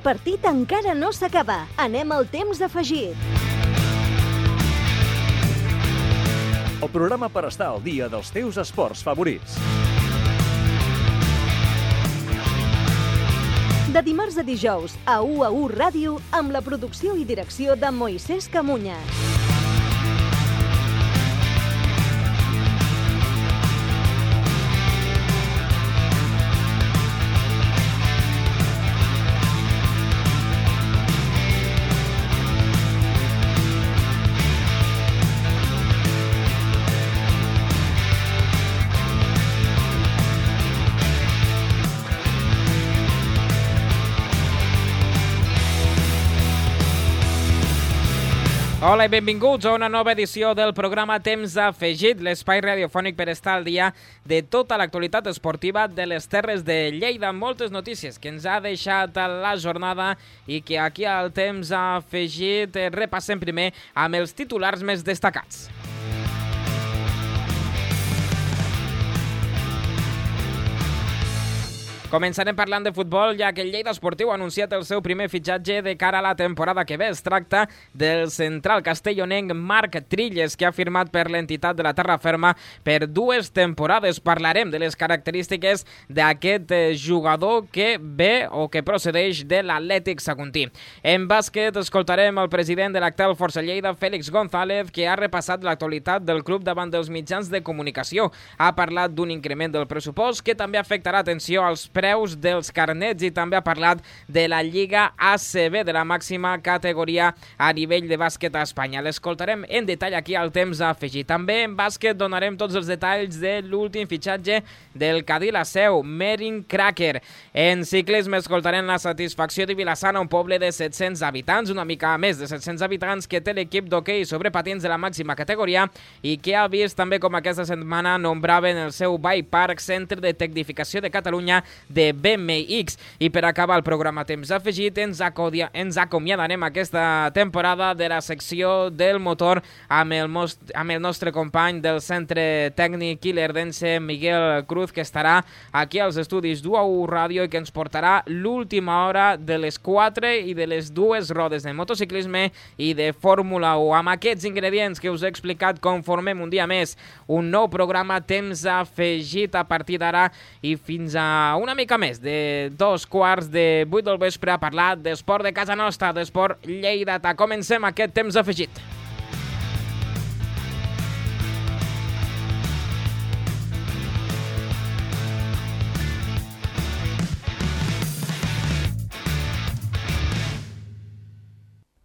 partit encara no s'acaba. Anem al temps afegit. El programa per estar al dia dels teus esports favorits. De dimarts a dijous, a UAU Ràdio, amb la producció i direcció de Moisés Camuñas. Hola i benvinguts a una nova edició del programa Temps Afegit, l'espai radiofònic per estar al dia de tota l'actualitat esportiva de les Terres de Lleida. Moltes notícies que ens ha deixat la jornada i que aquí al Temps Afegit repassem primer amb els titulars més destacats. Començarem parlant de futbol, ja que el Lleida Esportiu ha anunciat el seu primer fitxatge de cara a la temporada que ve. Es tracta del central castellonenc Marc Trilles, que ha firmat per l'entitat de la Terra Ferma per 2 temporades. Parlarem de les característiques d'aquest jugador que ve o que procedeix de l'Atlètic Saguntí. En bàsquet escoltarem el president de l'Actel Força Lleida, Félix González, que ha repassat l'actualitat del club davant dels mitjans de comunicació. Ha parlat d'un increment del pressupost que també afectarà, atenció, als preus dels carnets i també ha parlat de la Lliga ACB, de la màxima categoria a nivell de bàsquet a Espanya. L'escoltarem en detall aquí al Temps Afegit. També en bàsquet donarem tots els detalls de l'últim fitxatge del Cadí la Seu, Merin Cracker. En ciclisme escoltarem la satisfacció de Vilassana, un poble de 700 habitants, una mica més de 700 habitants, que té l'equip d'hoquei sobre patins de la màxima categoria i que ha vist també com aquesta setmana nombraven el seu Bike Park Centre de Tecnificació de Catalunya de BMX. I per acabar el programa Temps Afegit, ens acomiadarem aquesta temporada de la secció del motor amb el nostre company del Centre Tècnic Ilerdense, Miguel Cruz, que estarà aquí als estudis d'UAU Ràdio i que ens portarà l'última hora de les 4 i de les 2 rodes de motociclisme i de Fórmula 1. Amb aquests ingredients que us he explicat, conformem un dia més un nou programa Temps Afegit a partir d'ara i fins a una mica més de 2:15 del vespre a parlar d'esport de casa nostra, d'esport lleidatà. Comencem aquest Temps Afegit.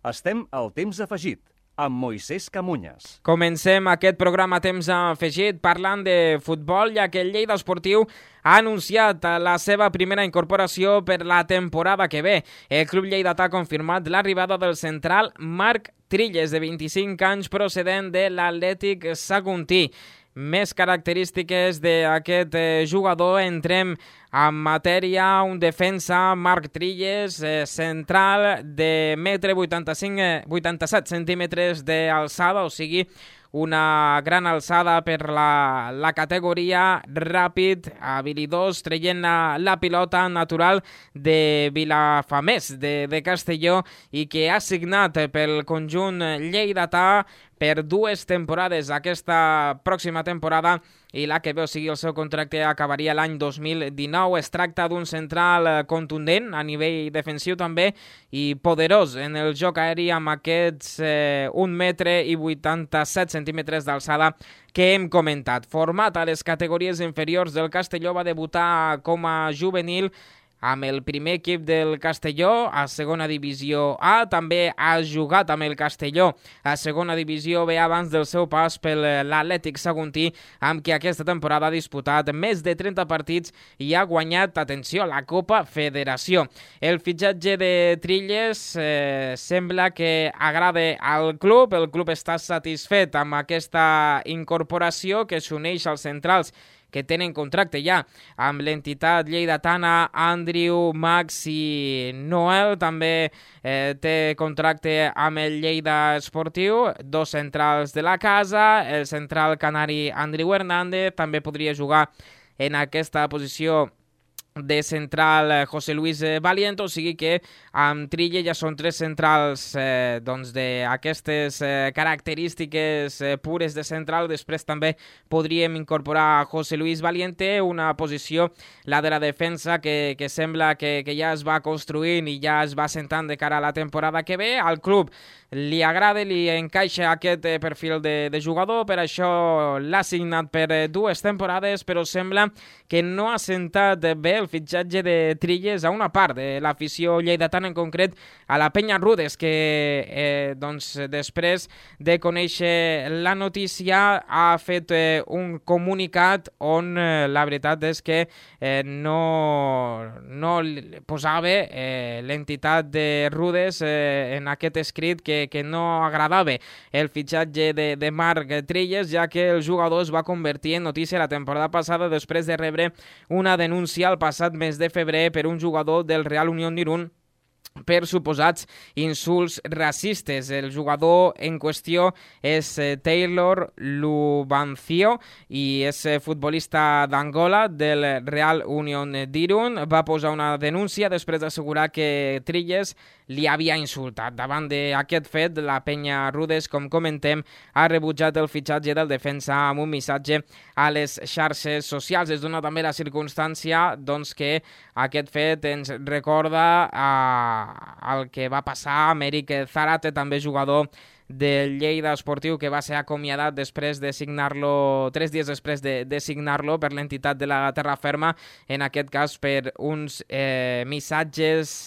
Estem al Temps Afegit amb Moisés Camuñas. Comencem aquest programa Temps Afegit parlant de futbol, ja que el Lleida Esportiu ha anunciat la seva primera incorporació per la temporada que ve. El club lleidatà ha confirmat l'arribada del central Marc Trilles, de 25 anys, procedent de l'Atlètic Saguntí. Més característiques d'aquest jugador, entrem en matèria. Un defensa, Marc Trilles, central de 1,87 centímetres d'alçada, o sigui, una gran alçada per la categoria, ràpid, habilidós, traient la pilota, natural de Vilafamés, de Castelló, i que ha signat pel conjunt lleidatà per 2 temporades. Aquesta pròxima temporada i la que ve, o sigui, el seu contracte acabaria l'any 2019. Es tracta d'un central contundent a nivell defensiu també i poderós en el joc aeri, amb aquests 1,87 centímetres d'alçada que hem comentat. Format a les categories inferiors del Castelló, va debutar com a juvenil amb el primer equip del Castelló a segona divisió A. També ha jugat amb el Castelló a segona divisió B abans del seu pas per l'Atlètic Saguntí, amb qui aquesta temporada ha disputat més de 30 partits i ha guanyat, atenció, la Copa Federació. El fitxatge de Trilles sembla que agrada al club. El club està satisfet amb aquesta incorporació, que s'uneix als centrals que tenen contracte ja amb l'entitat lleidatana. Andrew, Max i Noel també té contracte amb el Lleida Esportiu. 2 centrals de la casa. El central canari Andrew Hernández també podria jugar en aquesta posició de central José Luis Valiente, o sigui que amb Trilla ja són 3 centrals d'aquestes característiques pures de central. Després també podríem incorporar José Luis Valiente, una posició, la de la defensa, que sembla que ja es va construint i ja es va sentant de cara a la temporada que ve. Al club li agrada, li encaixa aquest perfil de jugador, per això l'ha signat per 2 temporades, però sembla que no ha sentat bé el fitxatge de Trilles a una part de l'afició lleidatana, en concret a la Penya Rudes, que després de conèixer la notícia ha fet un comunicat on la veritat és que no posava l'entitat de Rudes en aquest escrit que no agradava el fitxatge de Marc Trilles, ja que el jugador es va convertir en notícia la temporada passada després de rebre una denúncia al passat mes de febrer per un jugador del Real Unión d'Irún per suposats insults racistes. El jugador en qüestió és Taylor Lubancio i és futbolista d'Angola del Real Unión d'Irún. Va posar una denúncia després d'assegurar que Trilles li havia insultat. Davant d'aquest fet, la Penya Rudes, com comentem, ha rebutjat el fitxatge del defensa amb un missatge a les xarxes socials. Es dona també la circumstància que aquest fet ens recorda el que va passar a Amèric Zárate, també jugador del Lleida Esportiu, que va ser acomiadat després de signar-lo, 3 dies després de signar-lo per l'entitat de la Terra Ferma, en aquest cas per uns missatges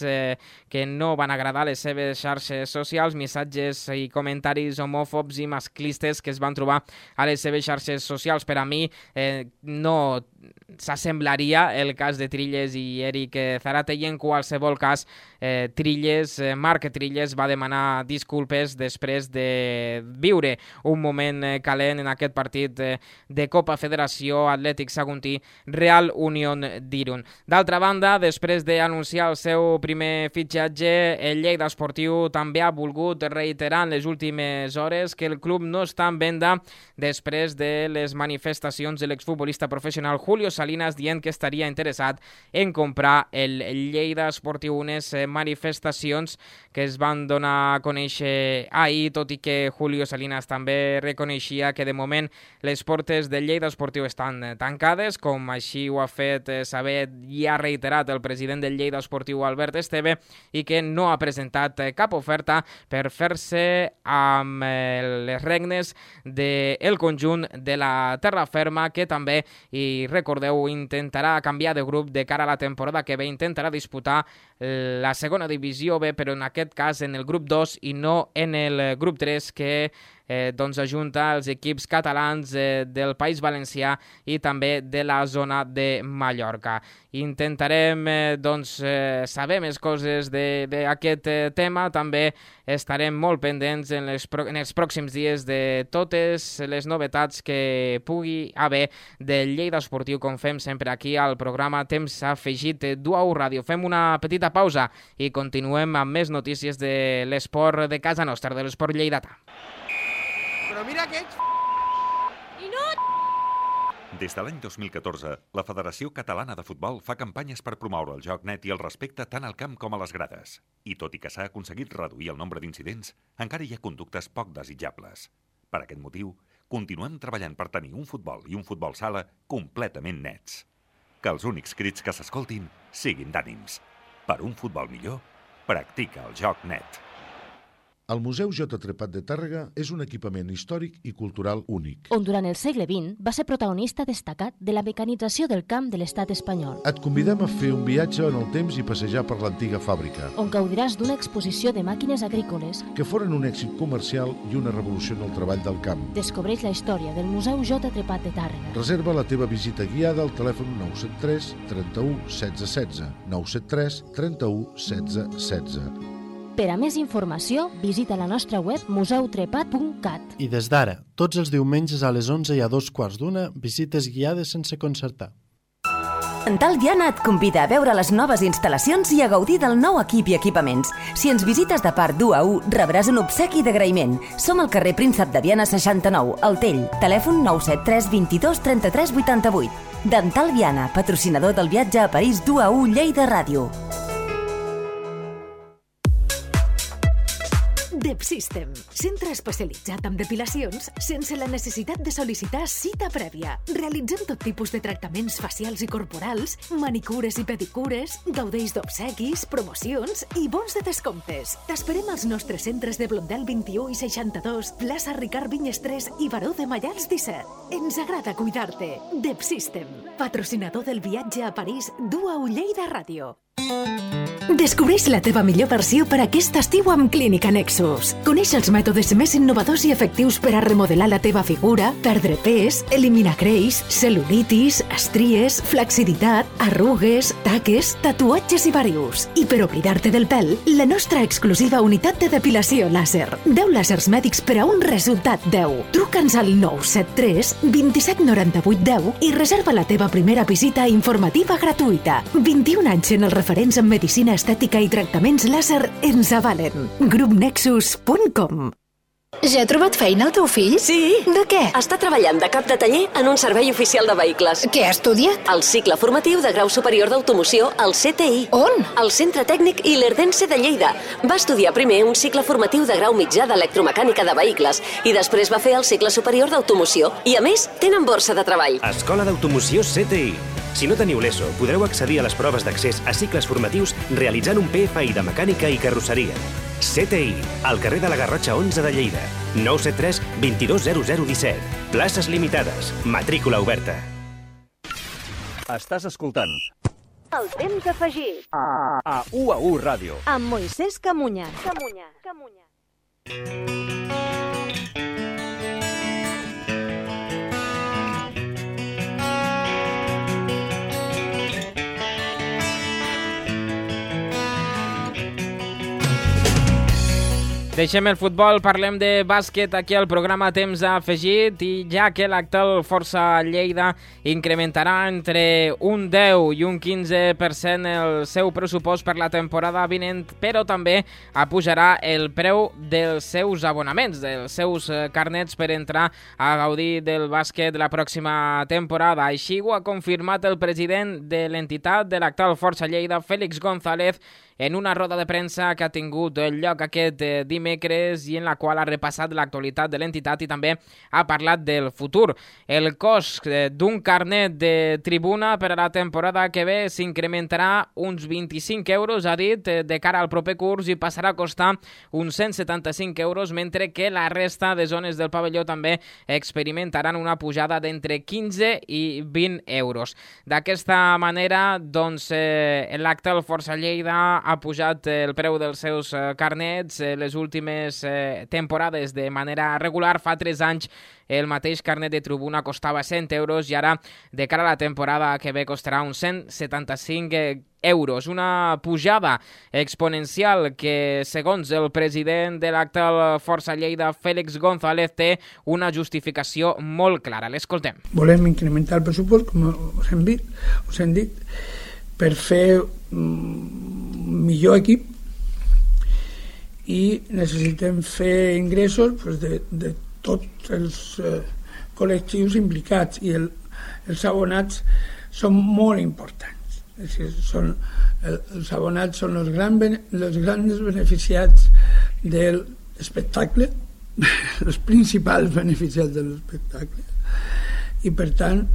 que no van agradar a les seves xarxes socials, missatges i comentaris homòfobs i masclistes que es van trobar a les seves xarxes socials. Per a mi no s'assemblaria el cas de Trilles i Eric Zárate, i en qualsevol cas Marc Trilles va demanar disculpes després de viure un moment calent en aquest partit de Copa Federació Atlètic Saguntí Real Unión d'Irún. D'altra banda, després d'anunciar el seu primer fitxatge, el Lleida Esportiu també ha volgut reiterar en les últimes hores que el club no està en venda després de les manifestacions de l'exfutbolista professional Julio Salinas dient que estaria interessat en comprar el Lleida Esportiu. Unes manifestacions que es van donar a conèixer ahir, tot i que Julio Salinas també reconeixia que de moment les portes del Lleida Esportiu estan tancades, com així ho ha fet saber i ha reiterat el president del Lleida Esportiu, Albert Esteve, i que no ha presentat cap oferta per fer-se amb les regnes del conjunt de la Terra Ferma, que també, i recordeu, intentarà canviar de grup de cara a la temporada que ve, intentarà disputar la segona divisió B, però en aquest cas en el grup 2 i no en el grup 3, que ajunta els equips catalans del País Valencià i també de la zona de Mallorca. Intentarem saber més coses d'aquest tema. També estarem molt pendents en els pròxims dies de totes les novetats que pugui haver del Lleida Esportiu, com fem sempre aquí al programa Temps Afegit d'UAU Ràdio. Fem una petita pausa i continuem amb més notícies de l'esport de casa nostra, de l'esport lleidatà. Però mira que ets... I no... Des de l'any 2014, la Federació Catalana de Futbol fa campanyes per promoure el joc net i el respecte tant al camp com a les grades. I tot i que s'ha aconseguit reduir el nombre d'incidents, encara hi ha conductes poc desitjables. Per aquest motiu, continuem treballant per tenir un futbol i un futbol sala completament nets. Que els únics crits que s'escoltin siguin d'ànims. Per un futbol millor, practica el joc net. El Museu J. Trepat de Tàrrega és un equipament històric i cultural únic, on durant el segle XX va ser protagonista destacat de la mecanització del camp de l'estat espanyol, Et convidem a fer un viatge en el temps i passejar per l'antiga fàbrica, on gaudiràs d'una exposició de màquines agrícoles. que foren un èxit comercial i una revolució en el treball del camp. Descobreix la història del Museu J. Trepat de Tàrrega. Reserva la teva visita guiada al telèfon 973 31 16 16, 973 31 16 16. Per a més informació, visita la nostra web museutrepat.cat. I des d'ara, tots els diumenges a les 11 i a 2:15, visites guiades sense concertar. Dental Diana et convida a veure les noves instal·lacions i a gaudir del nou equip i equipaments. Si ens visites de part d'1-1, rebràs un obsequi d'agraïment. Som al carrer Príncep de Viana 69, al Tell. Telèfon 973 22 33 88. Dental Diana, patrocinador del viatge a París d'1-1 Lleida Ràdio. DepSystem, centre especialitzat en depilacions sense la necessitat de sol·licitar cita prèvia. Realitzem tot tipus de tractaments facials i corporals, manicures i pedicures, gaudeix d'obsequis, promocions i bons de descomptes. T'esperem als nostres centres de Blondel 21 i 62, plaça Ricard Vinyes 3 i Baró de Mallals 17. Ens agrada cuidar-te. DepSystem, patrocinador del viatge a París d'1-1 Lleida Ràdio. Descobreix la teva millor versió per aquest estiu amb Clínica Nexus. Coneix els mètodes més innovadors i efectius per a remodelar la teva figura, perdre pes, eliminar greix, cel·lulitis, estries, flaciditat, arrugues, taques, tatuatges i varius. I per oblidar-te del pèl, la nostra exclusiva unitat de depilació làser. 10 làsers mèdics per a un resultat 10. Truca'ns al 973 27 98 10 i reserva la teva primera visita informativa gratuïta. 21 anys en els referents en medicina estètica i tractaments làser ens avalen. Grupnexus.com. Ja ha trobat feina el teu fill? Sí. De què? Està treballant de cap de taller en un servei oficial de vehicles. Què ha estudiat? El cicle formatiu de grau superior d'automoció al CTI. On? Al Centre Tècnic Ilerdense de Lleida. Va estudiar primer un cicle formatiu de grau mitjà d'electromecànica de vehicles i després va fer el cicle superior d'automoció. I a més, tenen borsa de treball. Escola d'Automoció CTI. Si no teniu l'ESO, podreu accedir a les proves d'accés a cicles formatius realitzant un PFI de mecànica i carrosseria. CTI, al carrer de la Garrotxa 11 de Lleida. 973 22 0017. Places limitades. Matrícula oberta. Estàs escoltant El temps afegit a UAU Ràdio amb Moisès Camunya. Deixem el futbol, parlem de bàsquet aquí al programa Temps Afegit i ja que l'actual Força Lleida incrementarà entre un 10 i un 15% el seu pressupost per la temporada vinent, però també apujarà el preu dels seus abonaments, dels seus carnets per entrar a gaudir del bàsquet la pròxima temporada. Així ho ha confirmat el president de l'entitat de l'actual Força Lleida, Félix González, en una roda de premsa que ha tingut lloc aquest dimecres i en la qual ha repassat l'actualitat de l'entitat i també ha parlat del futur. El cost d'un carnet de tribuna per a la temporada que ve s'incrementarà uns 25 euros, ha dit, de cara al proper curs i passarà a costar uns 175 euros, mentre que la resta de zones del pavelló també experimentaran una pujada d'entre 15 i 20 euros. D'aquesta manera, doncs, l'actual Força Lleida ha pujat el preu dels seus carnets les últimes temporades de manera regular. Fa 3 anys el mateix carnet de tribuna costava 100 euros i ara, de cara a la temporada que ve, costarà uns 175 euros. Una pujada exponencial que, segons el president de l'actual Força Lleida, Félix González, té una justificació molt clara. L'escoltem. Volem incrementar el pressupost, com us hem dit, per fer millor equip i necessitem fer ingressos de tots els col·lectius implicats i els abonats són molt importants. És dir, els abonats són els grans beneficiats de l'espectacle, els principals beneficiats de l'espectacle, i per tant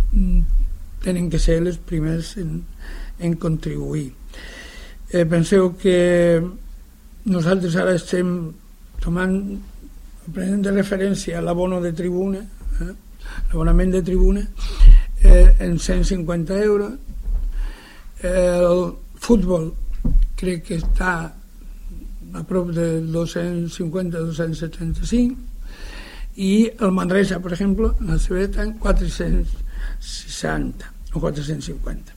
tenen que ser els primers en contribuir. Penseu que nosaltres ara estem prenent de referència l'abono de tribuna, l'abonament de tribuna en 150 euros. El futbol crec que està a prop de 250-275 i el Manresa, per exemple, la CB està en 460 o 450.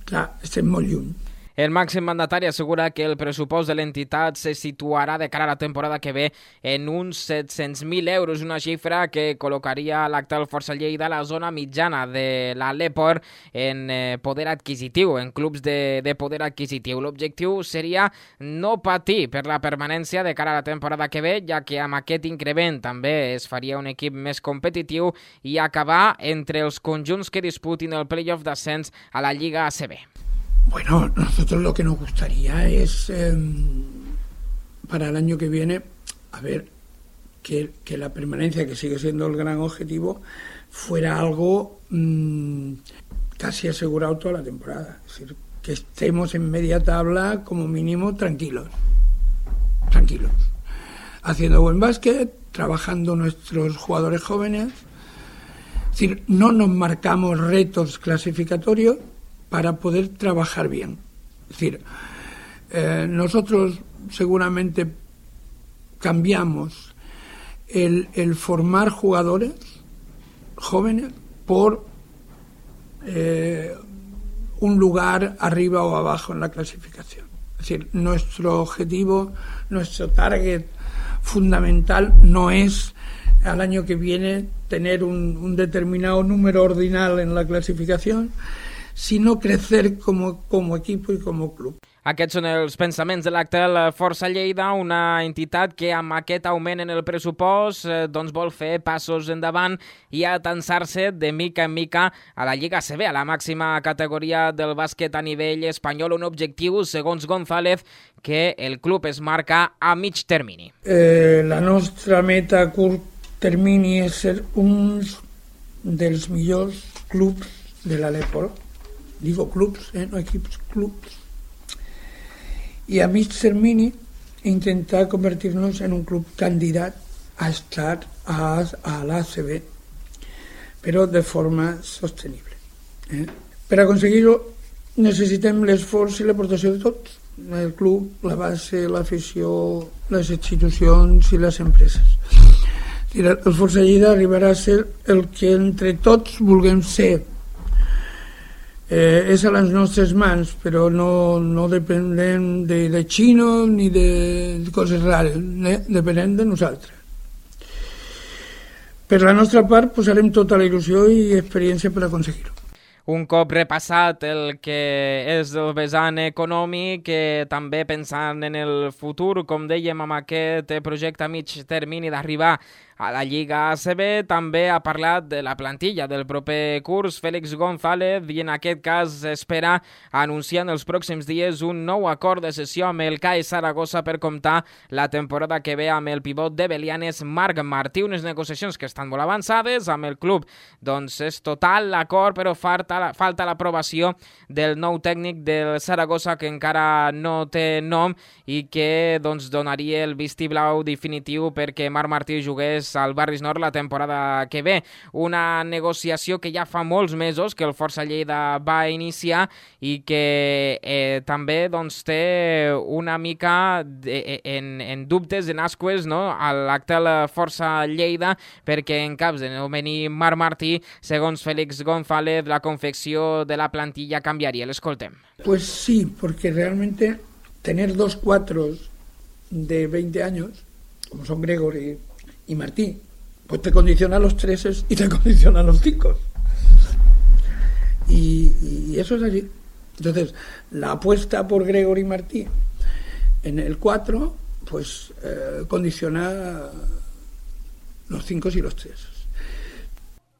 Clar, estem molt lluny. El màxim mandatari assegura que el pressupost de l'entitat se situarà de cara a la temporada que ve en uns 700.000 euros, una xifra que col·locaria l'actual Força Lleida a la zona mitjana de la Leport en poder adquisitiu, en clubs de poder adquisitiu. L'objectiu seria no patir per la permanència de cara a la temporada que ve, ja que amb aquest increment també es faria un equip més competitiu i acabar entre els conjunts que disputin el playoff d'ascens a la Lliga ACB. Bueno, nosotros lo que nos gustaría es para el año que viene, a ver, que la permanencia, que sigue siendo el gran objetivo, fuera algo casi asegurado toda la temporada. Es decir, que estemos en media tabla como mínimo tranquilos, haciendo buen básquet, trabajando nuestros jugadores jóvenes. Es decir, no nos marcamos retos clasificatorios para poder trabajar bien. Es decir, nosotros seguramente cambiamos el formar jugadores jóvenes por un lugar arriba o abajo en la clasificación. Es decir, nuestro objetivo, nuestro target fundamental no es al año que viene tener un determinado número ordinal en la clasificación, sinó crecer como equipo y como club. Aquests són els pensaments de l'actual Força Lleida, una entitat que amb aquest augment en el pressupost vol fer passos endavant i atansar-se de mica en mica a la Lliga ACB, a la màxima categoria del bàsquet a nivell espanyol, un objectiu, segons González, que el club es marca a mig termini. La nostra meta a curt termini és ser un dels millors clubs de la Leport. Digo clubs, no equips, clubs. Y a mig termini intentar convertirnos en un club candidat a estar a la ACB, pero de forma sostenible. Per aconseguir-ho necessitem l'esforç i l'aportació de tots, el club, la base, l'afició, les institucions i les empreses. El Força Lleida arribarà a ser el que entre tots vulguem ser. És a les nostres mans, però no dependem de xino ni de coses rares, depenem de nosaltres. Per la nostra part posarem tota la il·lusió i experiència per aconseguir-ho. Un cop repassat el que és el vessant econòmic, també pensant en el futur, com dèiem, amb aquest projecte a mig termini d'arribar a la Lliga ACB, també ha parlat de la plantilla del proper curs Félix González i en aquest cas espera anunciar en els pròxims dies un nou acord de cessió amb el CAE Saragossa per comptar la temporada que ve amb el pivot de Belianes Marc Martí, unes negociacions que estan molt avançades amb el club. Doncs és total l'acord, però falta l'aprovació del nou tècnic del Saragossa que encara no té nom i que donaria el vistiblau definitiu perquè Marc Martí jugués al Barris Nord la temporada que ve. Una negociació que ja fa molts mesos que el Força Lleida va iniciar i que també té una mica en dubtes, en ascues, no? A l'actual Força Lleida, perquè en cas de no venir Marc Martí, segons Félix González, la confecció de la plantilla canviaria. L'escoltem. Pues sí, porque realmente tener dos cuatros de 20 años, como son Gregory y Martí, pues te condiciona los 3 y te condiciona los 5. Y eso es así. Entonces, la apuesta por Gregory y Martí en el 4, pues condiciona los 5 y los 3.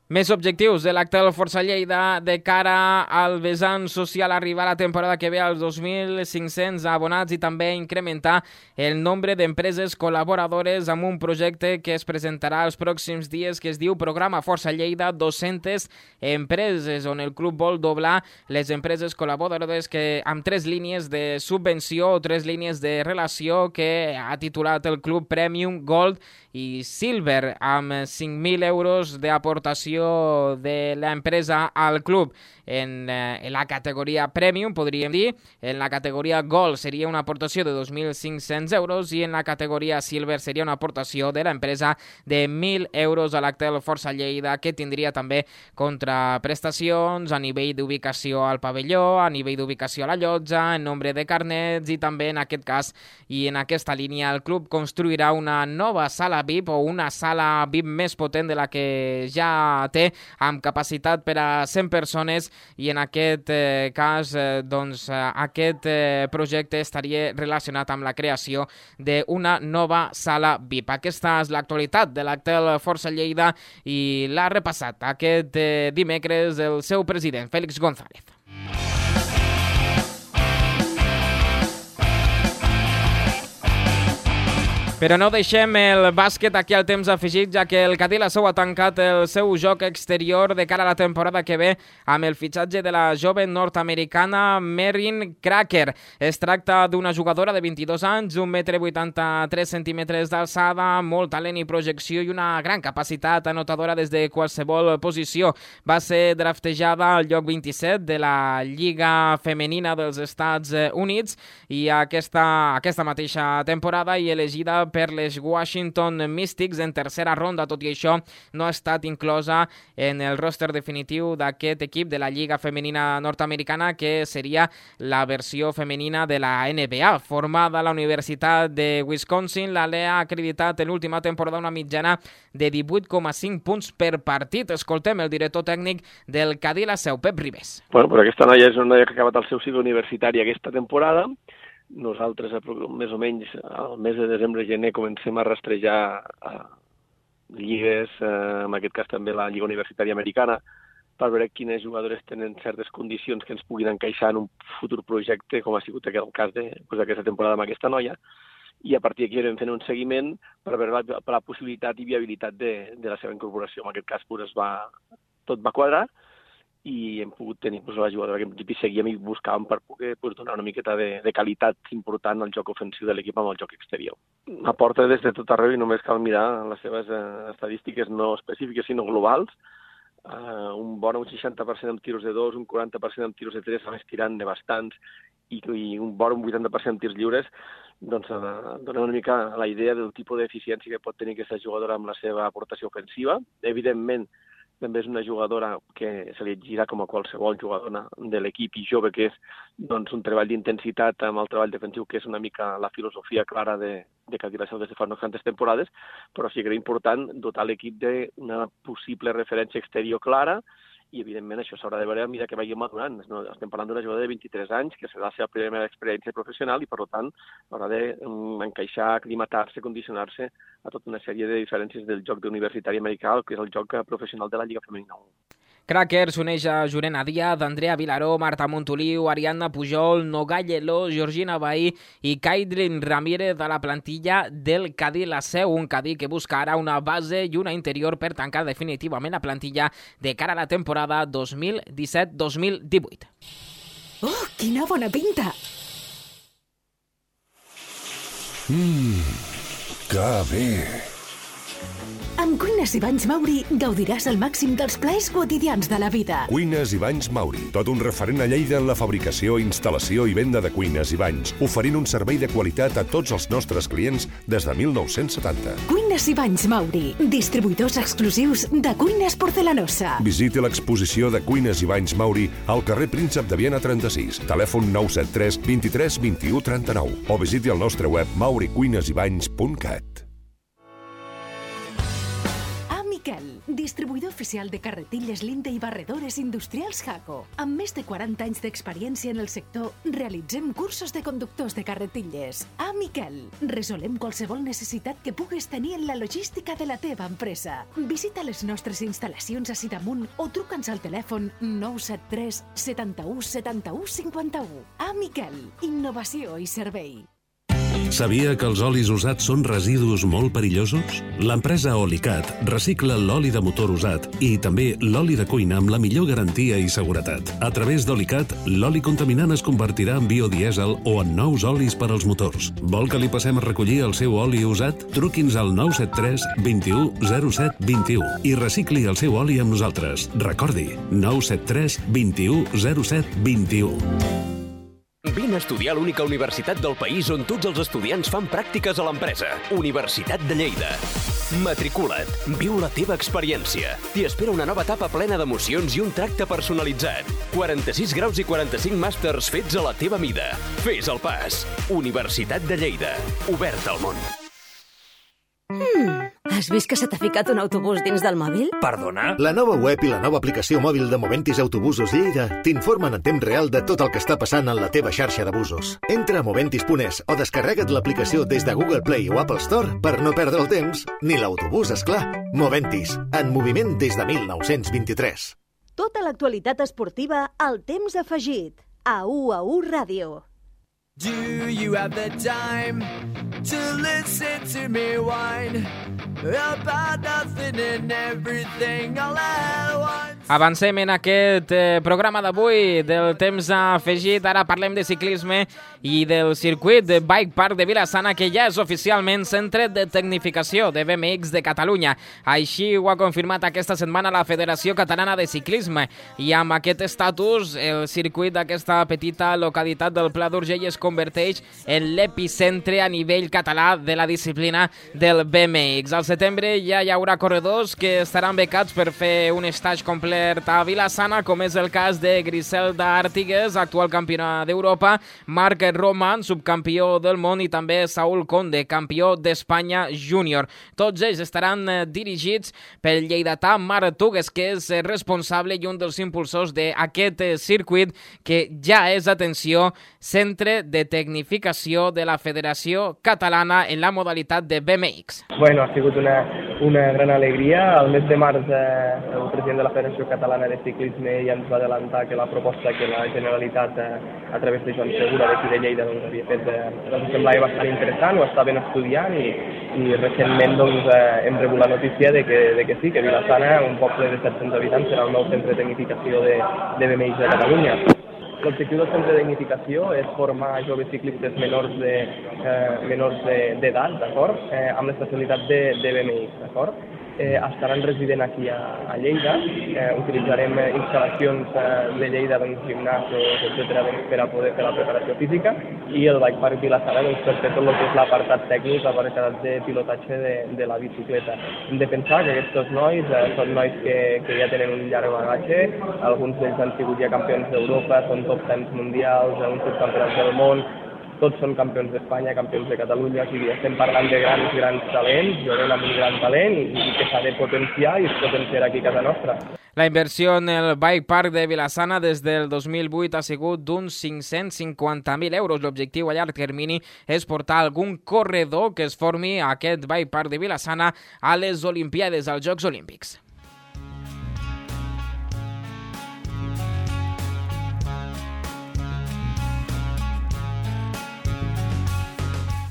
Més objectius de l'actual Força Lleida de cara al vessant social, arribar a la temporada que ve als 2.500 abonats i també incrementar el nombre d'empreses col·laboradores amb un projecte que es presentarà els pròxims dies que es diu Programa Força Lleida 200 empreses, on el club vol doblar les empreses col·laboradores que amb 3 línies de subvenció o 3 línies de relació que ha titulat el club Premium, Gold i Silver, amb 5.000 euros d'aportació l'aportació de l'empresa al club en la categoria Premium, podríem dir. En la categoria Gold seria una aportació de 2.500 euros i en la categoria Silver seria una aportació de l'empresa de 1.000 euros a l'Actel Força Lleida, que tindria també contraprestacions a nivell d'ubicació al pavelló, a nivell d'ubicació a la llotja, en nombre de carnets, i també en aquest cas i en aquesta línia el club construirà una nova sala VIP o una sala VIP més potent de la que ja té, amb capacitat per a 100 persones, i en aquest cas aquest projecte estaria relacionat amb la creació d'una nova sala VIP. Aquesta és l'actualitat de l'Actel Força Lleida i l'ha repassat aquest dimecres el seu president, Félix González. Però no deixem el bàsquet aquí al temps afegit, ja que el Cadí Laseu ha tancat el seu joc exterior de cara a la temporada que ve amb el fitxatge de la jove nord-americana Meryn Cracker. Es tracta d'una jugadora de 22 anys, 1,83 m d'alçada, molt talent i projecció i una gran capacitat anotadora des de qualsevol posició. Va ser draftejada al lloc 27 de la Lliga Femenina dels Estats Units i aquesta mateixa temporada i elegida per les Washington Mystics en tercera ronda. Tot i això, no ha estat inclosa en el roster definitiu d'aquest equip de la Lliga Femenina Nord-Americana, que seria la versió femenina de la NBA. Formada a la Universitat de Wisconsin, la Lea ha acreditat en l'última temporada una mitjana de 18,5 punts per partit. Escoltem el director tècnic del Cadí Laseu, Pep Ribes. Bueno, però aquesta noia és una noia que ha acabat el seu cicle universitari aquesta temporada. Nosaltres, més o menys, al mes de desembre-gener, comencem a rastrejar lligues, en aquest cas també la Lliga Universitària Americana, per veure quines jugadores tenen certes condicions que ens puguin encaixar en un futur projecte, com ha sigut el cas d'aquesta temporada amb aquesta noia, i a partir d'aquí vam fent un seguiment per veure la possibilitat i viabilitat de la seva incorporació. En aquest cas tot va quadrar, i hem pogut tenir la jugadora que en principi seguíem i buscàvem per poder donar una miqueta de qualitat important al joc ofensiu de l'equip amb el joc exterior. Aporta des de tot arreu i només cal mirar les seves estadístiques no específiques sinó globals. Un bon 60% amb tiros de 2, un 40% amb tiros de 3, a més tirant de bastants, i un bon 80% amb tirs lliures, doncs dona una mica la idea del tipus d'eficiència que pot tenir aquesta jugadora amb la seva aportació ofensiva. Evidentment, també és una jugadora que se li exigirà com a qualsevol jugadora de l'equip i jove, que és un treball d'intensitat amb el treball defensiu, que és una mica la filosofia clara de Cadí Laseu des de fa unes quantes temporades, però sí que era important dotar l'equip d'una possible referència exterior clara i, evidentment, això s'haurà de veure a mesura que vagi madurant. Estem parlant d'una jugadora de 23 anys, que serà la seva primera experiència professional i, per tant, haurà d'encaixar, aclimatar-se, condicionar-se a tota una sèrie de diferències del joc universitari americà, que és el joc professional de la Lliga Femenina 1. Cracker s'uneix a Jurena Díaz, Andrea Vilaró, Marta Montoliu, Ariadna Pujol, Nogai Leló, Georgina Bahí i Kaidrin Ramírez a la plantilla del Cadí Laseu, un Cadí que busca ara una base i una interior per tancar definitivament la plantilla de cara a la temporada 2017-2018. Oh, quina bona pinta! Que bé! Amb Cuines i Banys Mauri gaudiràs al màxim dels plaers quotidians de la vida. Cuines i Banys Mauri, tot un referent a Lleida en la fabricació, instal·lació i venda de cuines i banys, oferint un servei de qualitat a tots els nostres clients des de 1970. Cuines i Banys Mauri, distribuïdors exclusius de cuines porcelanosa. Visiti l'exposició de Cuines i Banys Mauri al carrer Príncep de Viana 36, telèfon 973 23 21 39 o visiti el nostre web mauricuinesibany.cat. Miquel, distribuïdor oficial de carretilles Linde i barredores industrials Jaco. Amb més de 40 anys d'experiència en el sector, realitzem cursos de conductors de carretilles. A Miquel, resolem qualsevol necessitat que puguis tenir en la logística de la teva empresa. Visita les nostres instal·lacions a Sidamunt o truca'ns al telèfon 973 71 71 51. A Miquel, innovació i servei. Sabia que els olis usats són residus molt perillosos? L'empresa Olicat recicla l'oli de motor usat i també l'oli de cuina amb la millor garantia i seguretat. A través d'Olicat, l'oli contaminant es convertirà en biodièsel o en nous olis per als motors. Vol que li passem a recollir el seu oli usat? Truqui'ns al 973 21 07 21 i recicli el seu oli amb nosaltres. Recordi, 973 21 07 21. Vine a estudiar a l'única universitat del país on tots els estudiants fan pràctiques a l'empresa. Universitat de Lleida. Matricula't. Viu la teva experiència. T'hi espera una nova etapa plena d'emocions i un tracte personalitzat. 46 graus i 45 màsters fets a la teva mida. Fes el pas. Universitat de Lleida. Obert al món. Has vist que se t'ha ficat un autobús dins del mòbil? Perdona? La nova web i la nova aplicació mòbil de Moventis Autobusos Lleida t'informen en temps real de tot el que està passant en la teva xarxa de busos. Entra a moventis.es o descarrega't l'aplicació des de Google Play o Apple Store per no perdre el temps ni l'autobús, esclar. Moventis, en moviment des de 1923. Tota l'actualitat esportiva al temps afegit. A UAU Ràdio. Do you have the time to listen to me whine about nothing and everything all at once? Avancem en aquest programa d'avui del temps afegit. Ara parlem de ciclisme i del circuit de Bike Park de Vila-sana, que ja és oficialment centre de tecnificació de BMX de Catalunya. Així ho ha confirmat aquesta setmana la Federació Catalana de Ciclisme. I amb aquest estatus, el circuit d'aquesta petita localitat del Pla d'Urgell es converteix en l'epicentre a nivell català de la disciplina del BMX. Al setembre ja hi haurà corredors que estaran becats per fer un stage complet a Vila-sana, com és el cas de Griselda Artigues, actual campiona d'Europa, Marc Roman, subcampió del món, i també Saúl Conde, campió d'Espanya júnior. Tots ells estaran dirigits pel lleidatà Marc Tugues, que és responsable i un dels impulsors d'aquest circuit, que ja és, atenció, centre de tecnificació de la Federació Catalana en la modalitat de BMX. Bueno, ha sigut una gran alegria. El mes de març el president de la Federació Catalana de Ciclisme ja ens va adelantar que la proposta que la Generalitat, a través de Joan Segura d'aquí de Lleida, doncs, havia fet, ens semblava bastant interessant, ho estaven estudiant i recentment doncs, hem rebut la notícia de que sí, que Vila-sana, un poble de 700 habitants, serà el nou centre de tecnificació de BMX de Catalunya. L'objectiu del centre de tecnificació és formar joves ciclistes menors d'edat, d'acord? Amb l'especialitat de BMX, d'acord? Estaran resident aquí a Lleida, utilitzarem instal·lacions de Lleida, doncs, gimnasos, etc., per a poder fer la preparació física, i el Bike Park Vila-sana doncs, per fer tot el que és l'apartat tècnic, l'apartat de pilotatge de la bicicleta. Hem de pensar que aquests nois són nois que ja tenen un llarg bagatge, alguns d'ells han sigut ja campions d'Europa, són top 10 mundials, uns subcampionats del món, tots són campions d'Espanya, campions de Catalunya, o sigui, estem parlant de grans talents, jovent amb un gran talent i que s'ha de potenciar i es potenciarà aquí a casa nostra. La inversió en el Bike Park de Vila-sana des del 2008 ha sigut d'uns 550.000 euros. L'objectiu a llarg termini és portar algun corredor que es formi a aquest Bike Park de Vila-sana a les Olimpiades, als Jocs Olímpics.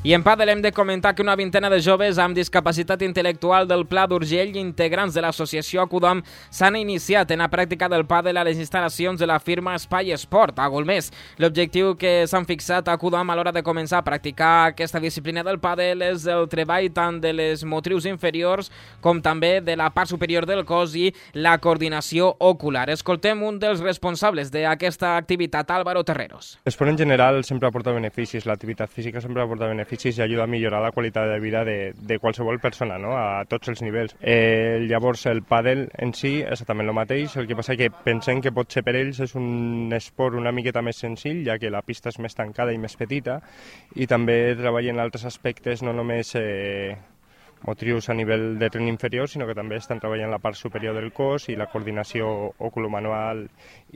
I en pàdel hem de comentar que una vintena de joves amb discapacitat intel·lectual del Pla d'Urgell, integrants de l'associació Acudam, s'han iniciat en la pràctica del pàdel a les instal·lacions de la firma Espai Esport, a Golmés. L'objectiu que s'han fixat a Acudam a l'hora de començar a practicar aquesta disciplina del pàdel és el treball tant de les motrius inferiors com també de la part superior del cos i la coordinació ocular. Escoltem un dels responsables d'aquesta activitat, Álvaro Terreros. L'esport en general sempre aporta beneficis, l'activitat física sempre aporta beneficis i ajuda a millorar la qualitat de vida de qualsevol persona, no? A tots els nivells. Llavors el pàdel en si és exactament el mateix, el que passa que pensem que potser per ells és un esport una miqueta més senzill, ja que la pista és més tancada i més petita, i també treballen altres aspectes, no només motrius a nivell de tren inferior, sinó que també estan treballant la part superior del cos i la coordinació oculomanual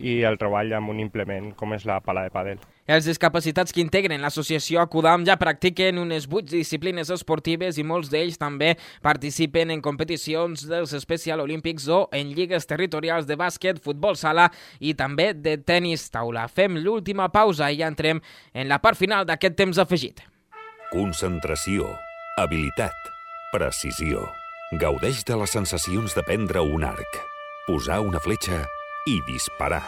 i el treball amb un implement com és la pala de pàdel. Els discapacitats que integren l'associació Acudam ja practiquen unes 8 disciplines esportives i molts d'ells també participen en competicions dels Special Olympics o en lligues territorials de bàsquet, futbol sala i també de tenis taula. Fem l'última pausa i ja entrem en la part final d'aquest temps afegit. concentració, habilitat, precisió. Gaudeix de les sensacions de prendre un arc, posar una fletxa i disparar.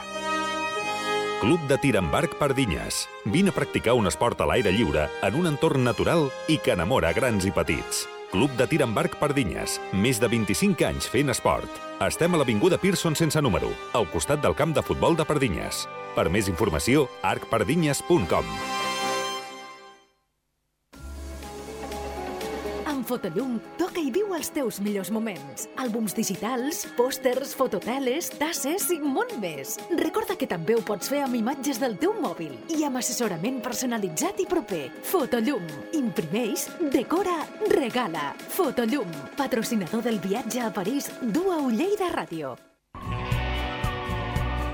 Club de Tir amb Arc Pardinyes. Vine a practicar un esport a l'aire lliure en un entorn natural i que enamora grans i petits. Club de Tir amb Arc Pardinyes. Més de 25 anys fent esport. Estem a l'avinguda Pearson sense número, al costat del camp de futbol de Pardinyes. Per més informació, arcpardinyes.com. Amb Fotollum toca i viu els teus millors moments. Àlbums digitals, pòsters, fototeles, tasses i molt més. Recorda que també ho pots fer amb imatges del teu mòbil i amb assessorament personalitzat i proper. Fotollum. Imprimeix, decora, regala. Fotollum. Patrocinador del viatge a París d'UAU Lleida Ràdio.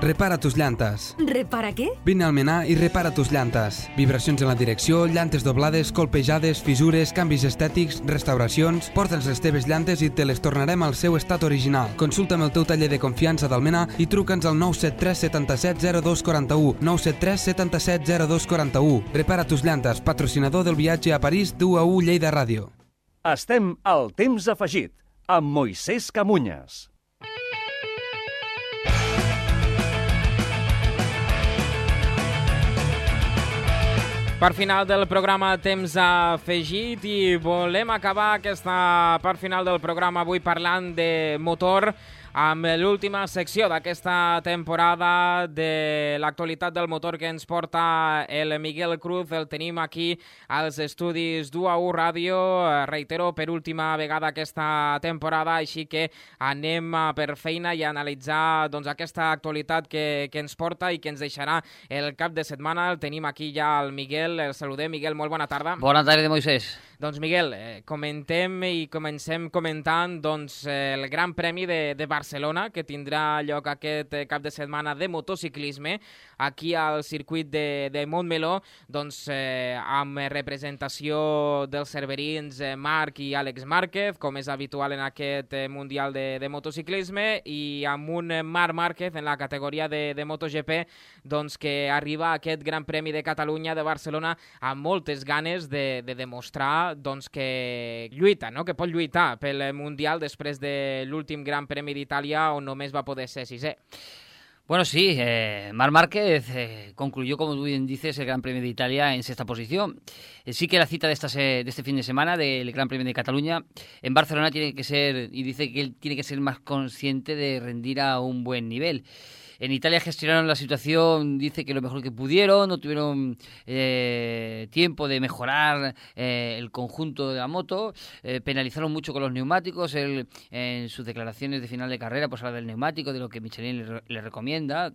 Repara tus llantes. Repara què? Vine al Menar i repara tus llantes. Vibracions en la direcció, llantes doblades, colpejades, fissures, canvis estètics, restauracions... Porta'ns les teves llantes i te les tornarem al seu estat original. Consulta'm el teu taller de confiança del Menar i truca'ns al 973 77 0241. 973 77 0241. Repara tus llantes, patrocinador del viatge a París d'UAU Lleida Ràdio. Estem al temps afegit, amb Moisès Camunyes. Part final del programa Temps afegit i volem acabar aquesta part final del programa avui parlant de motor amb l'última secció d'aquesta temporada de l'actualitat del motor que ens porta el Miguel Cruz. El tenim aquí als estudis d'UAU Ràdio, reitero, per última vegada aquesta temporada, així que anem per feina i a analitzar aquesta actualitat que ens porta i que ens deixarà el cap de setmana. El tenim aquí ja el Miguel, el saludem. Miguel, molt bona tarda. Bona tarda, Moisès. Doncs Miguel, comentem i comencem comentant el Gran Premi de Barcelona, que tindrà lloc aquest cap de setmana de motociclisme aquí al circuit de Montmeló, amb representació dels cerverins Marc i Àlex Márquez, com és habitual en aquest Mundial de motociclisme, i amb un Marc Márquez en la categoria de MotoGP, que arriba a aquest Gran Premi de Catalunya de Barcelona amb moltes ganes de demostrar que lluita, que pot lluitar pel Mundial després de l'últim Gran Premi d'Itàlia on només va poder ser sisè. Bueno, sí, Marc Márquez concluyó, como tú bien dices, el Gran Premio de Italia en sexta posición. Sí que la cita de este fin de semana del Gran Premio de Cataluña en Barcelona tiene que ser, y dice que él tiene que ser más consciente de rendir a un buen nivel. En Italia gestionaron la situación, dice que lo mejor que pudieron, no tuvieron tiempo de mejorar el conjunto de la moto, penalizaron mucho con los neumáticos. Él, en sus declaraciones de final de carrera, pues habla del neumático, de lo que Michelin le recomienda.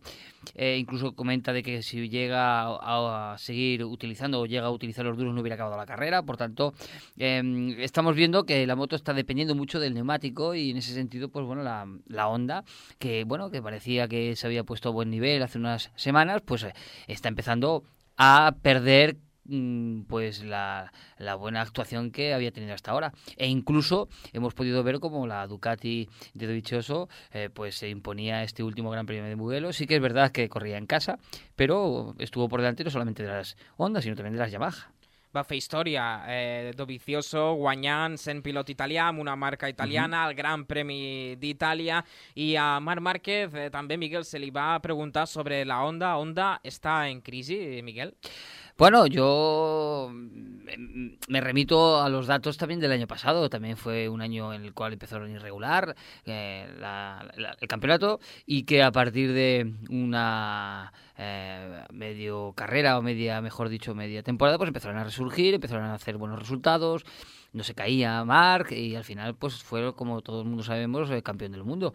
Incluso comenta de que si llega a seguir utilizando o llega a utilizar los duros no hubiera acabado la carrera. Por tanto, estamos viendo que la moto está dependiendo mucho del neumático y en ese sentido, pues bueno, la Honda, que parecía que se había puesto a buen nivel hace unas semanas, pues está empezando a perder pues la buena actuación que había tenido hasta ahora. E incluso hemos podido ver cómo la Ducati de Dovizioso pues se imponía este último Gran Premio de Mugello. Sí que es verdad que corría en casa, pero estuvo por delante no solamente de las Honda, sino también de las Yamaha. Va fer història, Dovizioso guanyant, sent pilot italià amb una marca italiana, el Gran Premi d'Itàlia, i a Marc Márquez també, Miguel, se li va preguntar sobre la Honda. ¿Honda está en crisis, Miguel? Bueno, yo me remito a los datos también del año pasado. También fue un año en el cual empezaron irregular el campeonato, y que a partir de una medio carrera, o media temporada, pues empezaron a resurgir, empezaron a hacer buenos resultados, no se caía Marc, y al final pues fue, como todo el mundo sabemos, el campeón del mundo.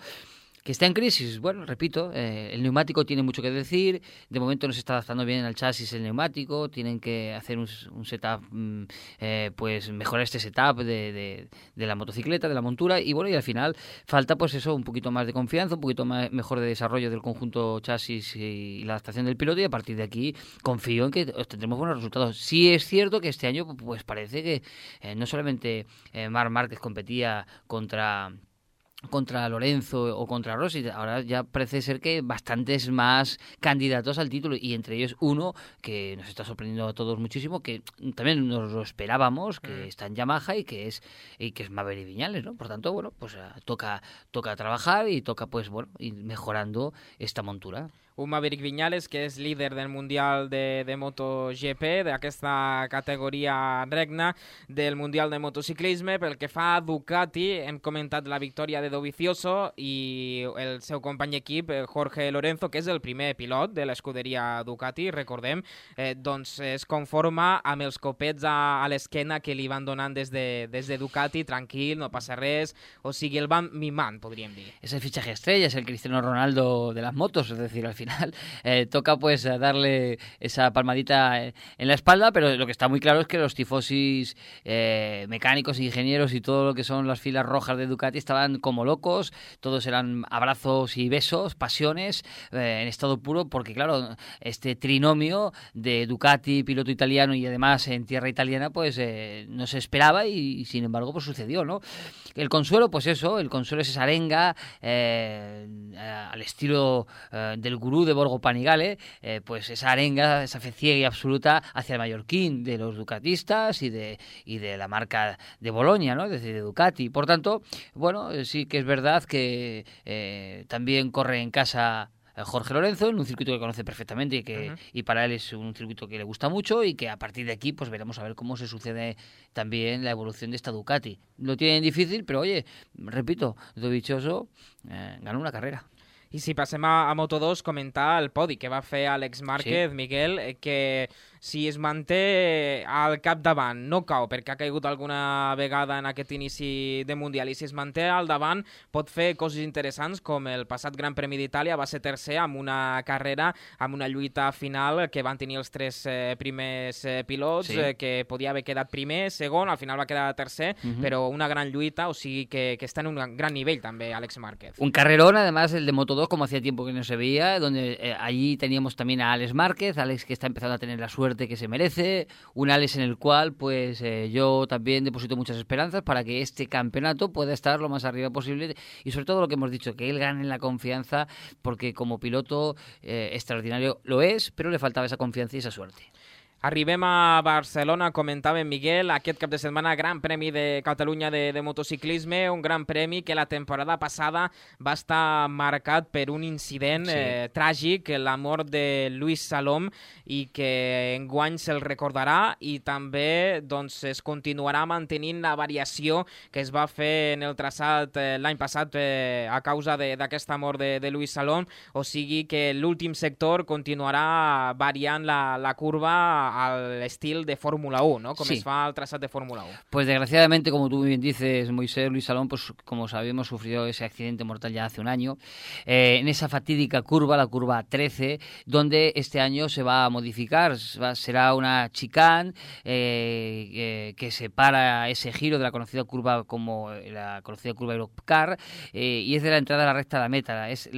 ¿Que está en crisis? Bueno, repito, el neumático tiene mucho que decir. De momento no se está adaptando bien al chasis el neumático. Tienen que hacer un setup, pues mejorar este setup de la motocicleta, de la montura. Y bueno, y al final falta pues eso, un poquito más de confianza, un poquito mejor de desarrollo del conjunto chasis y la adaptación del piloto. Y a partir de aquí confío en que obtendremos buenos resultados. Sí es cierto que este año pues parece que no solamente Marc Márquez competía contra contra Lorenzo o contra Rossi. Ahora ya parece ser que bastantes más candidatos al título, y entre ellos uno que nos está sorprendiendo a todos muchísimo, que también nos lo esperábamos, que está en Yamaha y que es Maverick Viñales, ¿no? Por tanto, bueno, pues toca trabajar y toca, pues bueno, ir mejorando esta montura. Un Maverick Viñales que és líder del Mundial de MotoGP, d'aquesta categoria regna del Mundial de Motociclisme. Pel que fa a Ducati, hem comentat la victòria de Dovizioso i el seu company d'equip, Jorge Lorenzo, que és el primer pilot de l'escuderia Ducati, recordem, doncs es conforma amb els copets a l'esquena que li van donant des de Ducati, tranquil, no passa res, o sigui, el van mimant, podríem dir. Es el fichaje estrella, es el Cristiano Ronaldo de las motos, es decir, al final toca pues darle esa palmadita en la espalda, pero lo que está muy claro es que los tifosis mecánicos, ingenieros y todo lo que son las filas rojas de Ducati estaban como locos, todos eran abrazos y besos, pasiones en estado puro, porque claro, este trinomio de Ducati, piloto italiano y además en tierra italiana, pues no se esperaba y sin embargo pues sucedió, ¿no? El consuelo, pues eso, el consuelo es esa arenga al estilo del gurú de Borgo Panigale, pues esa arenga, esa fe ciega y absoluta hacia el mallorquín de los ducatistas y de la marca de Bolonia, ¿no? Es decir, de Ducati. Por tanto, bueno, sí que es verdad que también corre en casa Jorge Lorenzo, en un circuito que conoce perfectamente y para él es un circuito que le gusta mucho, y que a partir de aquí pues veremos a ver cómo se sucede también la evolución de esta Ducati. Lo tienen difícil, pero oye, repito, Dovizioso ganó una carrera. I si passem a Moto2, comentar el podi que va fer Àlex Márquez, sí. Miguel, que si es manté al capdavant, no cau perquè ha caigut alguna vegada en aquest inici de Mundial, i si es manté al davant pot fer coses interessants, com el passat Gran Premi d'Itàlia va ser tercer amb una carrera, amb una lluita final que van tenir els tres primers pilots, sí. Que podia haver quedat primer, segon, al final va quedar tercer, però una gran lluita, o sigui que està en un gran nivell també Àlex Márquez. Un carrerón, además, el de Moto2, como hacía tiempo que no se veía, donde allí teníamos también a Àlex Márquez, Àlex que está empezando a tener la suerte que se merece, un Àlex en el cual pues yo también deposito muchas esperanzas para que este campeonato pueda estar lo más arriba posible, y sobre todo lo que hemos dicho, que él gane la confianza, porque como piloto extraordinario lo es, pero le faltaba esa confianza y esa suerte. Arribem a Barcelona, comentava Miguel, aquest cap de setmana Gran Premi de Catalunya de motociclisme, un gran premi que la temporada passada va estar marcat per un incident tràgic, la mort de Luis Salom, i que enguany se'l recordarà, i també doncs, es continuarà mantenint la variació que es va fer en el traçat l'any passat a causa d'aquesta mort de Luis Salom, o sigui que l'últim sector continuarà variant la curva al estilo de Fórmula 1, ¿no? Como sí. Es fa al trazado de Fórmula 1. Pues desgraciadamente, como tú muy bien dices, Moisés, Luis Salom, pues como sabemos, sufrió ese accidente mortal ya hace un año, en esa fatídica curva, la curva 13, donde este año se va a modificar, será una chicane que separa ese giro de la conocida curva como la conocida curva Europcar, y es de la entrada a la recta de la meta, es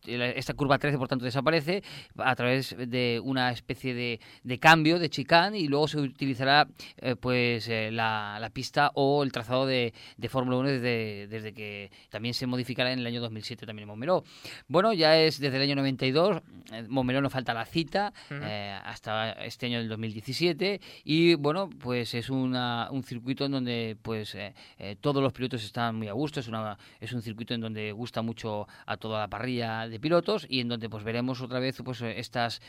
esta curva 13, por tanto, desaparece a través de una especie de cambio, de chicane, y luego se utilizará la pista o el trazado de Fórmula 1 desde que también se modificará en el año 2007 también en Montmeló. Bueno, ya es desde el año 92, Montmeló no falta la cita, hasta este año del 2017, y bueno, pues es un circuito en donde pues todos los pilotos están muy a gusto, es un circuito en donde gusta mucho a toda la parrilla de pilotos, y en donde pues veremos otra vez pues estas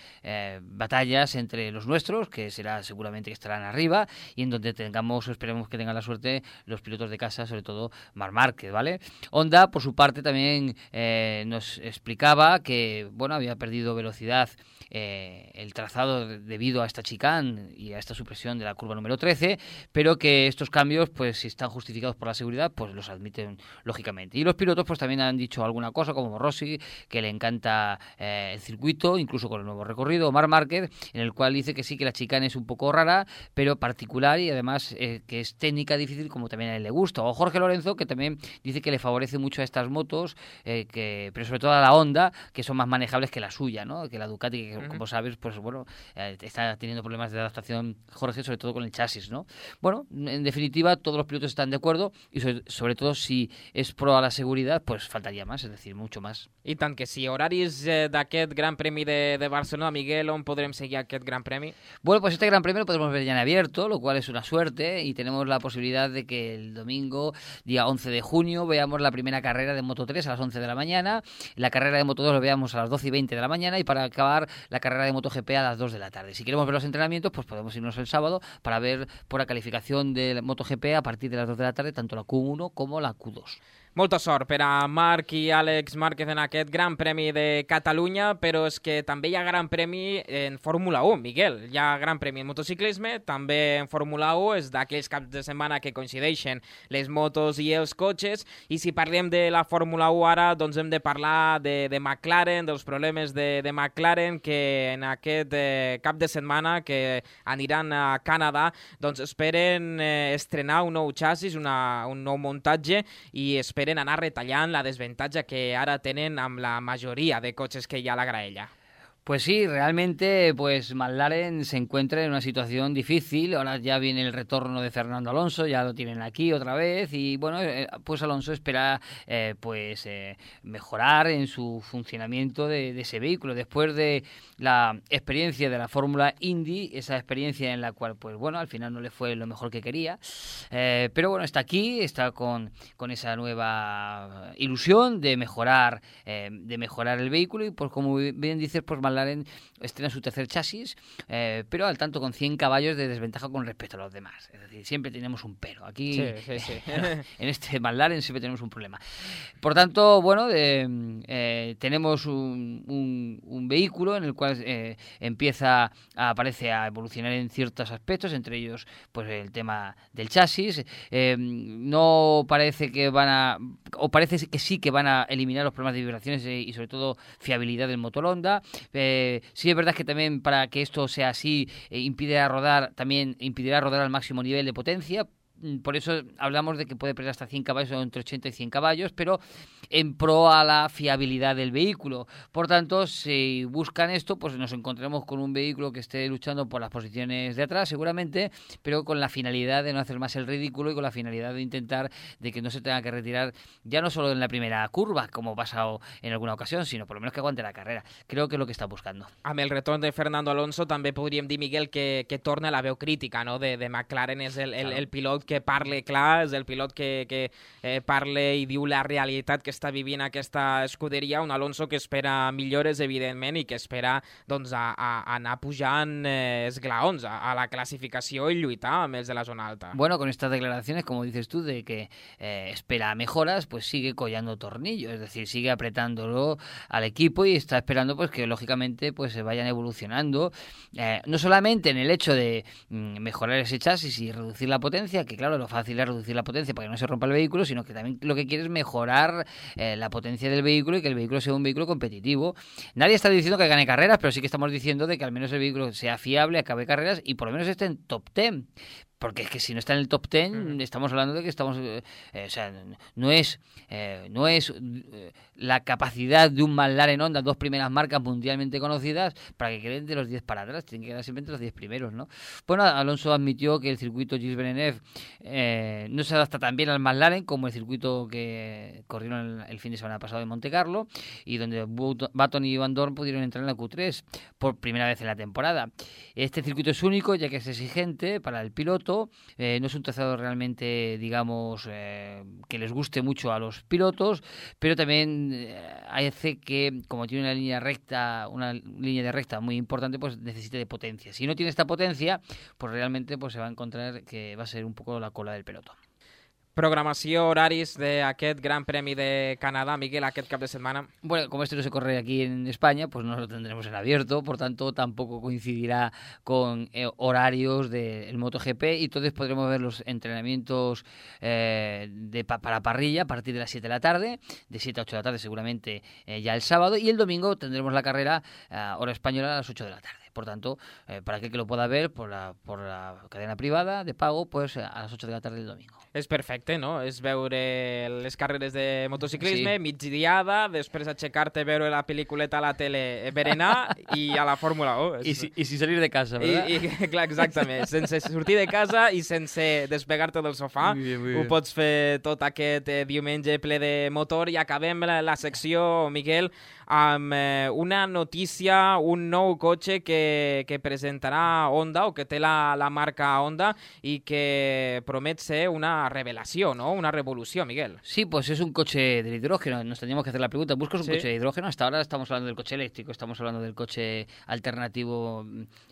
batallas entre los nuestros, que será seguramente que estarán arriba, y en donde esperemos que tengan la suerte los pilotos de casa, sobre todo Marc Márquez, ¿vale? Honda, por su parte, también nos explicaba que bueno, había perdido velocidad el trazado debido a esta chicane y a esta supresión de la curva número 13, pero que estos cambios, pues si están justificados por la seguridad, pues los admiten lógicamente. Y los pilotos pues también han dicho alguna cosa, como Rossi, decir que le encanta el circuito, incluso con el nuevo recorrido, Marc Márquez, en el cual dice que sí, que la chicane es un poco rara, pero particular y además que es técnica difícil, como también a él le gusta. O Jorge Lorenzo, que también dice que le favorece mucho a estas motos, pero sobre todo a la Honda, que son más manejables que la suya, ¿no? Que la Ducati, que como sabes, pues bueno, está teniendo problemas de adaptación Jorge, sobre todo con el chasis, ¿no? Bueno, en definitiva, todos los pilotos están de acuerdo y sobre todo si és pro a la seguretat, pues faltaria més, és a dir, mucho más. I tant que sí. Horaris d'aquest Gran Premi de Barcelona, Miguel, on podrem seguir aquest Gran Premi? Bueno, pues este Gran Premio lo podemos ver ya en abierto, lo cual es una suerte, y tenemos la posibilidad de que el domingo, día 11 de junio, veamos la primera carrera de Moto3 a las 11 de la mañana, la carrera de Moto2 lo veamos a las 12 y 20 de la mañana, y para acabar la carrera de MotoGP a las 2 de la tarde. Si queremos ver los entrenamientos, pues podemos irnos el sábado para ver por la calificación del MotoGP a partir de las 2 de la tarde, tanto la Q1 como la Q2. Molta sort per a Marc i Àlex Márquez en aquest Gran Premi de Catalunya, però és que també hi ha Gran Premi en Fórmula 1, Miguel. Hi ha Gran Premi en motociclisme, també en Fórmula 1, és d'aquells caps de setmana que coincideixen les motos i els cotxes, i si parlem de la Fórmula 1 ara, doncs hem de parlar de McLaren, dels problemes de McLaren, que en aquest cap de setmana que aniran a Canadà, doncs esperen estrenar un nou xassis, un nou muntatge, i esperen anar retallant la desavantatge que ara tenen amb la majoria de cotxes que hi ha a la graella. Pues sí, realmente pues McLaren se encuentra en una situación difícil. Ahora ya viene el retorno de Fernando Alonso, ya lo tienen aquí otra vez, y bueno, pues Alonso espera mejorar en su funcionamiento de ese vehículo. Después de la experiencia de la Fórmula Indy, esa experiencia en la cual pues bueno, al final no le fue lo mejor que quería, pero bueno, está aquí, está con esa nueva ilusión de mejorar el vehículo, y pues como bien dices, pues McLaren estrena su tercer chasis, pero al tanto con 100 caballos de desventaja con respecto a los demás. Es decir, siempre tenemos un pero. Aquí, sí. En este McLaren siempre tenemos un problema. Por tanto, bueno, tenemos un vehículo en el cual aparece a evolucionar en ciertos aspectos, entre ellos pues el tema del chasis. No parece que parece que sí que van a eliminar los problemas de vibraciones y sobre todo fiabilidad del motor Honda. Sí es verdad que también para que esto sea así impedirá rodar al máximo nivel de potencia. Por eso hablamos de que puede perder hasta 100 caballos o entre 80 y 100 caballos, pero en pro a la fiabilidad del vehículo. Por tanto, si buscan esto, pues nos encontraremos con un vehículo que esté luchando por las posiciones de atrás, seguramente, pero con la finalidad de no hacer más el ridículo y con la finalidad de intentar de que no se tenga que retirar ya no solo en la primera curva, como ha pasado en alguna ocasión, sino por lo menos que aguante la carrera. Creo que es lo que está buscando. Amb el retorn de Fernando Alonso també podríem dir, Miguel, que torna la veu crítica, no? de McLaren. És el pilot que parla clar, és el pilot que parla i diu la realitat que està vivint aquesta escuderia, un Alonso que espera millores, evidentment, i que espera doncs, a anar pujant esglaons a la clasificació i lluitar amb els de la zona alta. Bueno, con estas declaraciones, como dices tú, de que espera mejoras, pues sigue collando tornillos, es decir, sigue apretándolo al equipo y está esperando pues que lógicamente pues se vayan evolucionando, no solamente en el hecho de mejorar ese chasis y reducir la potencia, que claro, lo fácil es reducir la potencia para que no se rompa el vehículo, sino que también lo que quiere es mejorar la potencia del vehículo y que el vehículo sea un vehículo competitivo. Nadie está diciendo que gane carreras, pero sí que estamos diciendo de que al menos el vehículo sea fiable, acabe carreras y por lo menos esté en top 10. Porque es que si no está en el top 10, estamos hablando de que estamos... o sea, no es la capacidad de un McLaren Honda, dos primeras marcas mundialmente conocidas, para que queden de los 10 para atrás. Tienen que quedar siempre entre los 10 primeros, ¿no? Bueno, Alonso admitió que el circuito Gilles Villeneuve no se adapta tan bien al McLaren como el circuito que corrieron el fin de semana pasado en Monte Carlo, y donde Button y Van Dorn pudieron entrar en la Q3 por primera vez en la temporada. Este circuito es único, ya que es exigente para el piloto. No es un trazado realmente, digamos, que les guste mucho a los pilotos, pero también hace que, como tiene una línea de recta muy importante, pues necesite de potencia. Si no tiene esta potencia, pues realmente pues se va a encontrar que va a ser un poco la cola del pelotón. Programació, horaris d'aquest Gran Premi de Canadá, Miguel, aquest cap de semana. Bueno, como este no se corre aquí en España, pues no lo tendremos en abierto, por tanto tampoco coincidirá con horarios del MotoGP y entonces podremos ver los entrenamientos para parrilla a partir de las 7 de la tarde, de 7 a 8 de la tarde seguramente ya el sábado, y el domingo tendremos la carrera hora española a las 8 de la tarde. Por tanto, para aquel que lo pueda ver por la cadena privada de pago, pues a las 8 de la tarde del domingo. És perfecte, no? És veure les carreres de motociclisme, sí. Migdiada, després aixecar-te, veure la pel·lículeta a la tele, berenar i a la Fórmula 1. I sin salir de casa, ¿verdad? Clar, exactament. Sense sortir de casa i sense despegar-te del sofà. Muy bien. Ho pots fer tot aquest diumenge ple de motor i acabem la secció, Miguel, amb una notícia, un nou cotxe que presentarà Honda o que té la marca Honda y que promet ser una revelación, ¿no? Una revolución, Miguel. Sí, pues es un coche del hidrógeno. Nos tendríamos que hacer la pregunta, ¿buscas un coche de hidrógeno? Hasta ahora estamos hablando del coche eléctrico, estamos hablando del coche alternativo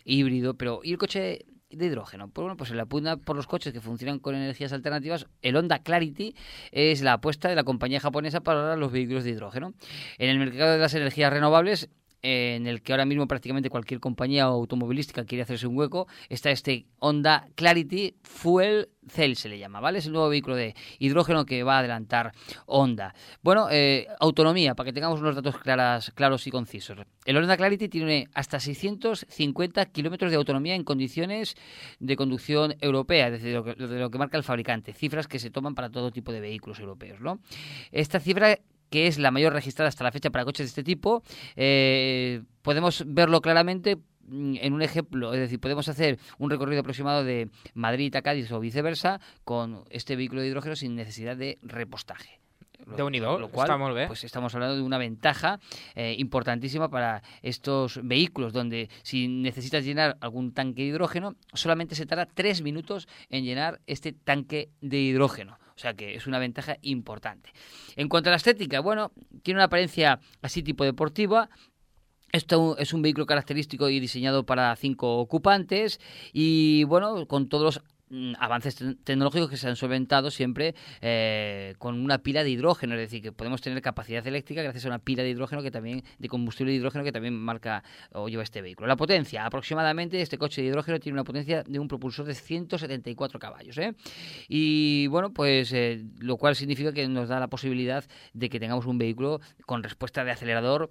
híbrido, pero ¿y el coche de hidrógeno? Pues bueno, pues en la pugna por los coches que funcionan con energías alternativas, el Honda Clarity es la apuesta de la compañía japonesa para los vehículos de hidrógeno. En el mercado de las energías renovables, en el que ahora mismo prácticamente cualquier compañía automovilística quiere hacerse un hueco, está este Honda Clarity Fuel Cell, se le llama, ¿vale? Es el nuevo vehículo de hidrógeno que va a adelantar Honda. Bueno, autonomía, para que tengamos unos datos claros y concisos. El Honda Clarity tiene hasta 650 kilómetros de autonomía en condiciones de conducción europea, es decir, de lo que marca el fabricante, cifras que se toman para todo tipo de vehículos europeos, ¿no? Esta cifra, que es la mayor registrada hasta la fecha para coches de este tipo, podemos verlo claramente en un ejemplo, es decir, podemos hacer un recorrido aproximado de Madrid a Cádiz o viceversa con este vehículo de hidrógeno sin necesidad de repostaje. Déu-n'hi-do, està molt bé. Pues estamos hablando de una ventaja importantísima para estos vehículos, donde si necesitas llenar algún tanque de hidrógeno, solamente se tarda 3 minutos en llenar este tanque de hidrógeno. O sea que es una ventaja importante. En cuanto a la estética, bueno, tiene una apariencia así tipo deportiva. Esto es un vehículo característico y diseñado para 5 ocupantes y, bueno, con todos los avances tecnológicos que se han solventado siempre con una pila de hidrógeno, es decir, que podemos tener capacidad eléctrica gracias a una pila de hidrógeno de combustible de hidrógeno que también marca o lleva este vehículo. La potencia, aproximadamente este coche de hidrógeno tiene una potencia de un propulsor de 174 caballos, y bueno, pues lo cual significa que nos da la posibilidad de que tengamos un vehículo con respuesta de acelerador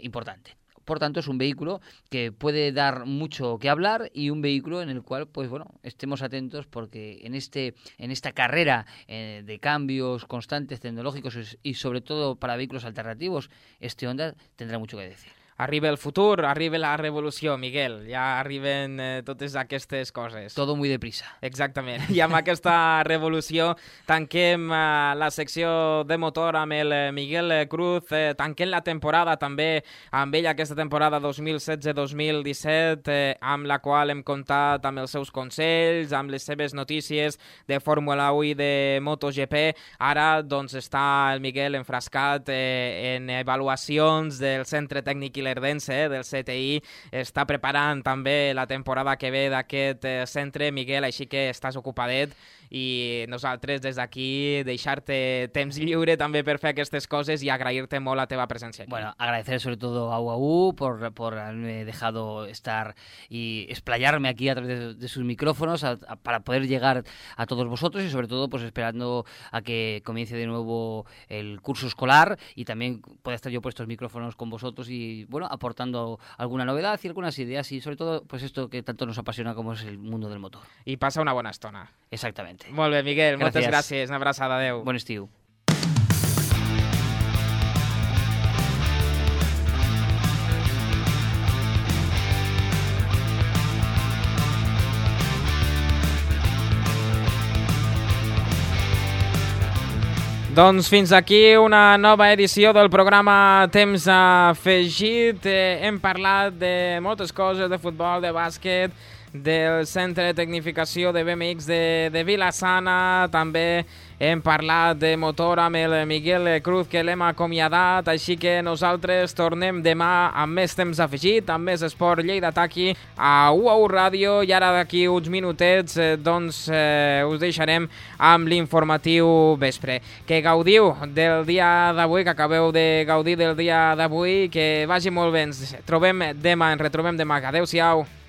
importante. Por tanto, es un vehículo que puede dar mucho que hablar y un vehículo en el cual, pues bueno, estemos atentos porque en esta carrera de cambios constantes tecnológicos y sobre todo para vehículos alternativos, este Honda tendrá mucho que decir. Arriba el futur, arriba la revolució, Miguel. Ja arriben totes aquestes coses. Todo muy deprisa. Exactament. I amb aquesta revolució tanquem la secció de motor amb el Miguel Cruz. Tanquem la temporada també amb ell, aquesta temporada 2016-2017, amb la qual hem comptat amb els seus consells, amb les seves notícies de Fórmula 1 i de MotoGP. Ara doncs està el Miguel enfrascat en avaluacions del Centre Tècnic Ilerdense, del CTI, està preparant també la temporada que ve d'aquest centre, Miguel, així que estàs ocupadet i nosaltres des d'aquí deixar-te temps lliure també per fer aquestes coses i agrair-te molt la teva presència aquí. Bueno, agradecer sobre todo a UAU por haberme dejado estar y explayarme aquí a través de sus micrófonos para poder llegar a todos vosotros y sobre todo pues esperando a que comience de nuevo el curso escolar y también pueda estar yo por estos micrófonos con vosotros y bueno, aportando alguna novedad y algunas ideas y sobre todo pues esto que tanto nos apasiona como es el mundo del motor. I passa una bona estona. Exactamente. Molt bé, Miguel, gràcies. Moltes gràcies. Una abraçada, adeu. Bon estiu. Doncs fins aquí una nova edició del programa Temps Afegit. Hem parlat de moltes coses, de futbol, de bàsquet, del Centre de Tecnificació de BMX de Vila-sana, també hem parlat de motor amb el Miguel Cruz, que l'hem acomiadat, així que nosaltres tornem demà amb més temps afegit, amb més esport Lleida Taqui a UAU Ràdio, i ara d'aquí uns minutets us deixarem amb l'informatiu vespre. Que gaudiu del dia d'avui, que acabeu de gaudir del dia d'avui, que vagi molt bé. Ens retrobem demà. Adéu-siau.